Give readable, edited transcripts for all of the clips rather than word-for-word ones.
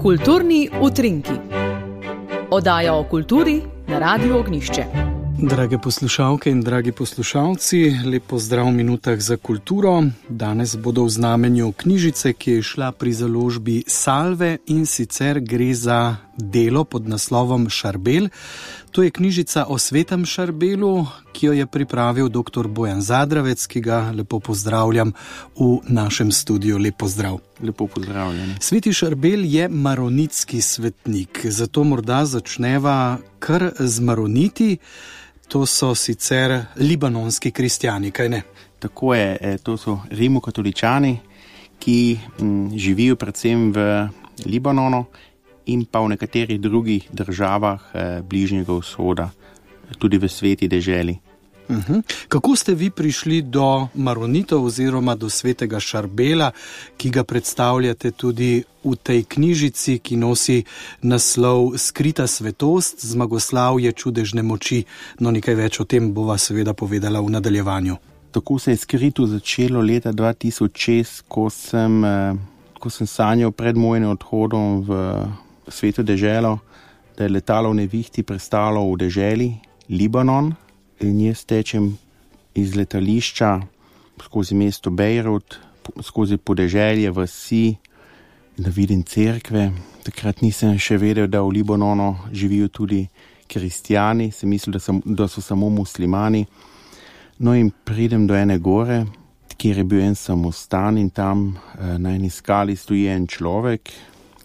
Kulturni utrinki. Oddaja o kulturi na Radiu Ognjišče. Drage poslušalke in dragi poslušalci, lep pozdrav v minutah za kulturo. Danes bodo v znamenju knjižice, ki je šla pri založbi Salve, in sicer gre za delo pod naslovom Šarbel. To je knjižica o svetem Šarbelu, ki jo je pripravil dr. Bojan Zadravec, ki ga lepo pozdravljam v našem studiu. Lep pozdrav. Lepo pozdravljen. Sveti Šarbel je maronitski svetnik, zato morda začneva kar z maroniti. To so sicer libanonski kristjani, kaj ne? Tako je, to so rimokatoličani, ki živijo predvsem v Libanonu in pa v nekaterih drugih državah Bližnjega vzhoda, tudi v sveti deželi. Kako ste vi prišli do maronitov oziroma do svetega Šarbela, ki ga predstavljate tudi v tej knjižici, ki nosi naslov Skrita svetost, zmagoslavje čudežne moči? No, nekaj več o tem bova seveda povedala v nadaljevanju. Tako se je skrito začelo leta 2006, ko sem sanjal pred mojim odhodom v sveto deželo, da je letalo v nevihti pristalo v deželi Libanon. In jaz tečem iz letališča skozi mesto Bejrut, skozi podeželje, vasi, da vidim cerkve. Takrat nisem še vedel, da v Libanonu živijo tudi kristjani, sem mislil, da so samo muslimani. No in pridem do ene gore, kjer je bil en samostan, in tam na eni skali stoji en človek,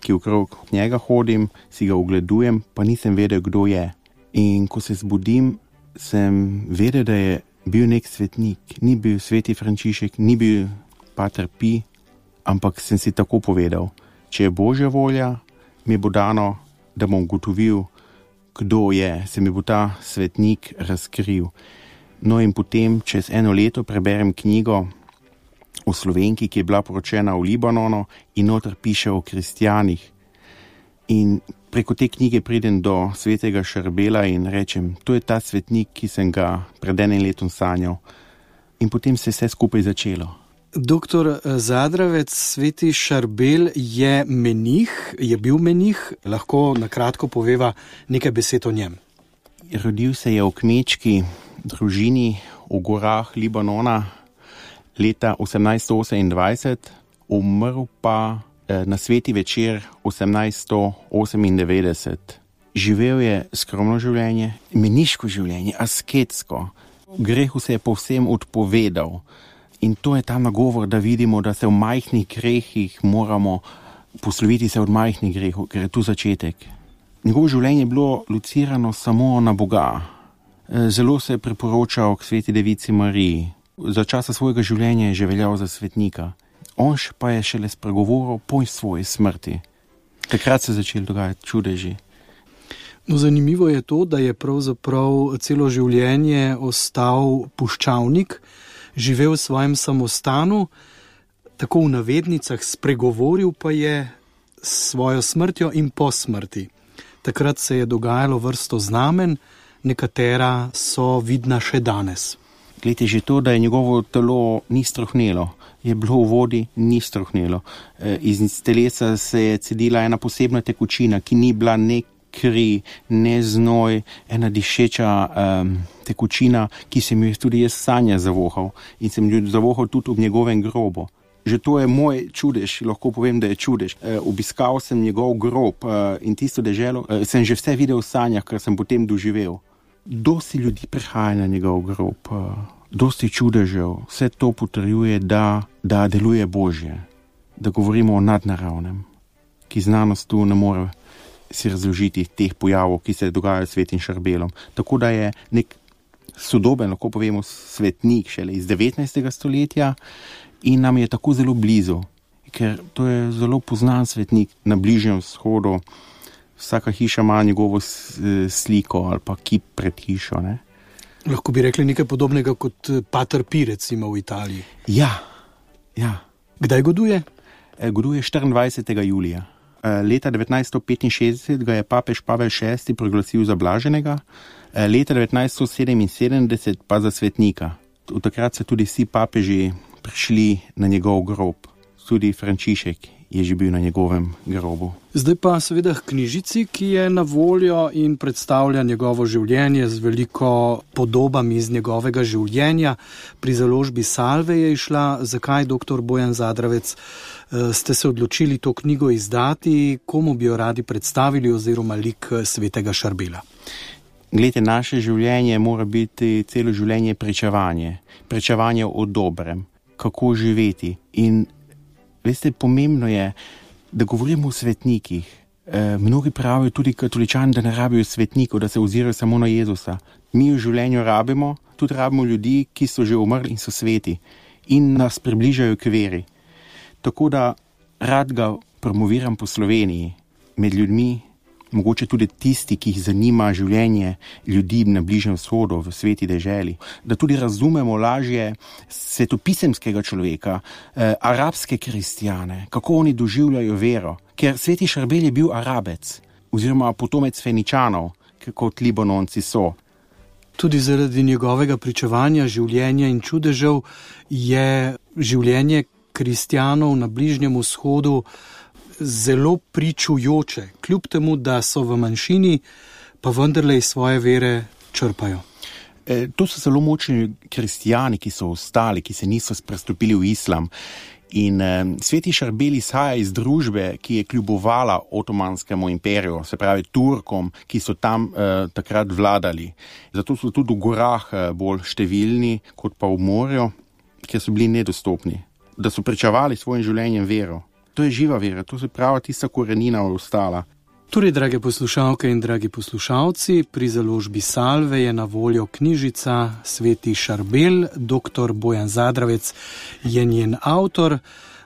ki okrog njega hodim, si ga ogledujem, pa nisem vedel, kdo je. In ko se zbudim, sem vedel, da je bil nek svetnik. Ni bil sveti Frančišek, ni bil pater Pi, ampak sem si tako povedal, če je Božja volja, mi bo dano, da bom ugotovil, kdo je, se mi bo ta svetnik razkril. No in potem čez eno leto preberem knjigo o Slovenki, ki je bila poročena v Libanonu, in noter piše o kristjanih. In preko te knjige pridem do svetega Šarbela in rečem, to je ta svetnik, ki sem ga pred enim letom sanjal. In potem se je vse skupaj začelo. Doktor Zadravec, sveti Šarbel je menih, je bil menih, lahko na kratko poveva nekaj besed o njem. Rodil se je v kmečki družini v gorah Libanona leta 1828, umrl pa na sveti večer 1898. Živel je skromno življenje, meniško življenje, asketsko. Grehu se je povsem odpovedal. In to je ta nagovor, da vidimo, da se v majhnih grehih moramo posloviti se od majhnih grehov, ker je tu začetek. Njegovo življenje je bilo locirano samo na Boga. Zelo se je priporočal k sveti devici Mariji. Za časa svojega življenja je že veljal za svetnika. On pa je šele spregovoril po svoji smrti. Takrat se je začel dogajati čudeži. No, zanimivo je to, da je pravzaprav celo življenje ostal puščavnik, živel v svojem samostanu, tako v navednicah, spregovoril pa je s svojo smrtjo in po smrti. Takrat se je dogajalo vrsto znamen, nekatera so vidna še danes. Glejte, že to, da je njegovo telo ni strohnelo, je bilo v vodi, ni strohnelo. Iz telesa se je cedila ena posebna tekočina, ki ni bila ne kri, ne znoj, ena dišeča tekočina, ki sem jo tudi jaz sanja zavohal in sem jo zavohal tudi v njegovem grobu. Že to je moj čudež, lahko povem, da je čudež. Obiskal sem njegov grob in tisto deželo, sem že vse videl v sanjah, kar sem potem doživel. Dosti ljudi prihaja na njegov grob, dosti čudežev, vse to potrjuje, da deluje Božje, da govorimo o nadnaravnem, ki znanost tu ne more si razložiti teh pojavov, ki se dogajajo s svetim Šarbelom. Tako da je nek sodoben, lahko povemo, svetnik šele iz 19. stoletja in nam je tako zelo blizu, ker to je zelo poznan svetnik na Bližnjem vzhodu. Vsaka hiša ima njegovo sliko ali pa kip pred hišo, ne? Lahko bi rekli nekaj podobnega kot pater Pi, recimo v Italiji. Ja. Kdaj goduje? Goduje 24. julija. Leta 1965 ga je papež Pavel VI proglasil za blaženega, leta 1977 pa za svetnika. Od takrat so tudi vsi papeži prišli na njegov grob. Tudi Frančišek je že bil na njegovem grobu. Zdaj pa seveda k knjižici, ki je na voljo in predstavlja njegovo življenje z veliko podobami iz njegovega življenja. Pri založbi Salve je išla. Zakaj, dr. Bojan Zadravec, ste se odločili to knjigo izdati? Komu bi jo radi predstavili oziroma lik svetega Šarbela? Glejte, naše življenje mora biti celo življenje pričevanje o dobrem, kako živeti. In veste, pomembno je, da govorimo o svetnikih. Mnogi pravijo, tudi katoličani, da ne rabijo svetnikov, da se ozirajo samo na Jezusa. Mi v življenju tudi rabimo ljudi, ki so že umrli in so sveti in nas približajo k veri. Tako da rad ga promoviram po Sloveniji, med ljudmi, mogoče tudi tisti, ki jih zanima življenje ljudi na Bližnjem vzhodu, v sveti deželi, da tudi razumemo lažje svetopisemskega človeka, arabske kristjane, kako oni doživljajo vero. Ker sveti Šarbel je bil Arabec oziroma potomec Feničanov, kot Libanonci so. Tudi zaradi njegovega pričevanja življenja in čudežev je življenje kristjanov na Bližnjem vzhodu zelo pričujoče, kljub temu, da so v manjšini, pa vendarle iz svoje vere črpajo. To so zelo močni kristijani, ki so ostali, ki se niso prestopili v islam. In sveti Šarbel izhaja iz družbe, ki je kljubovala Otomanskemu imperiju, se pravi Turkom, ki so tam takrat vladali. Zato so tudi v gorah bolj številni, kot pa v morju, ker so bili nedostopni. Da so pričevali svojim življenjem vero. To je živa vera, to se pravi tista korenina ostala. Torej, drage poslušalke in dragi poslušalci, pri založbi Salve je na voljo knjižica Sveti Šarbel, dr. Bojan Zadravec je njen avtor.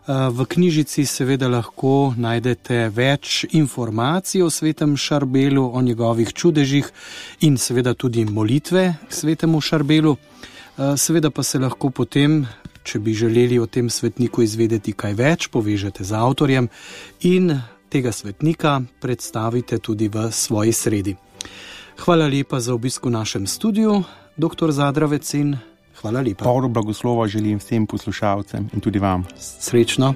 V knjižici seveda lahko najdete več informacij o svetem Šarbelu, o njegovih čudežih in seveda tudi molitve k svetemu Šarbelu. Seveda pa se lahko potem, če bi želeli o tem svetniku izvedeti kaj več, povežete z avtorjem in tega svetnika predstavite tudi v svoji sredi. Hvala lepa za obisk v našem studiu, dr. Zadravec, in hvala lepa. Polno blagoslova želim vsem poslušalcem in tudi vam. Srečno.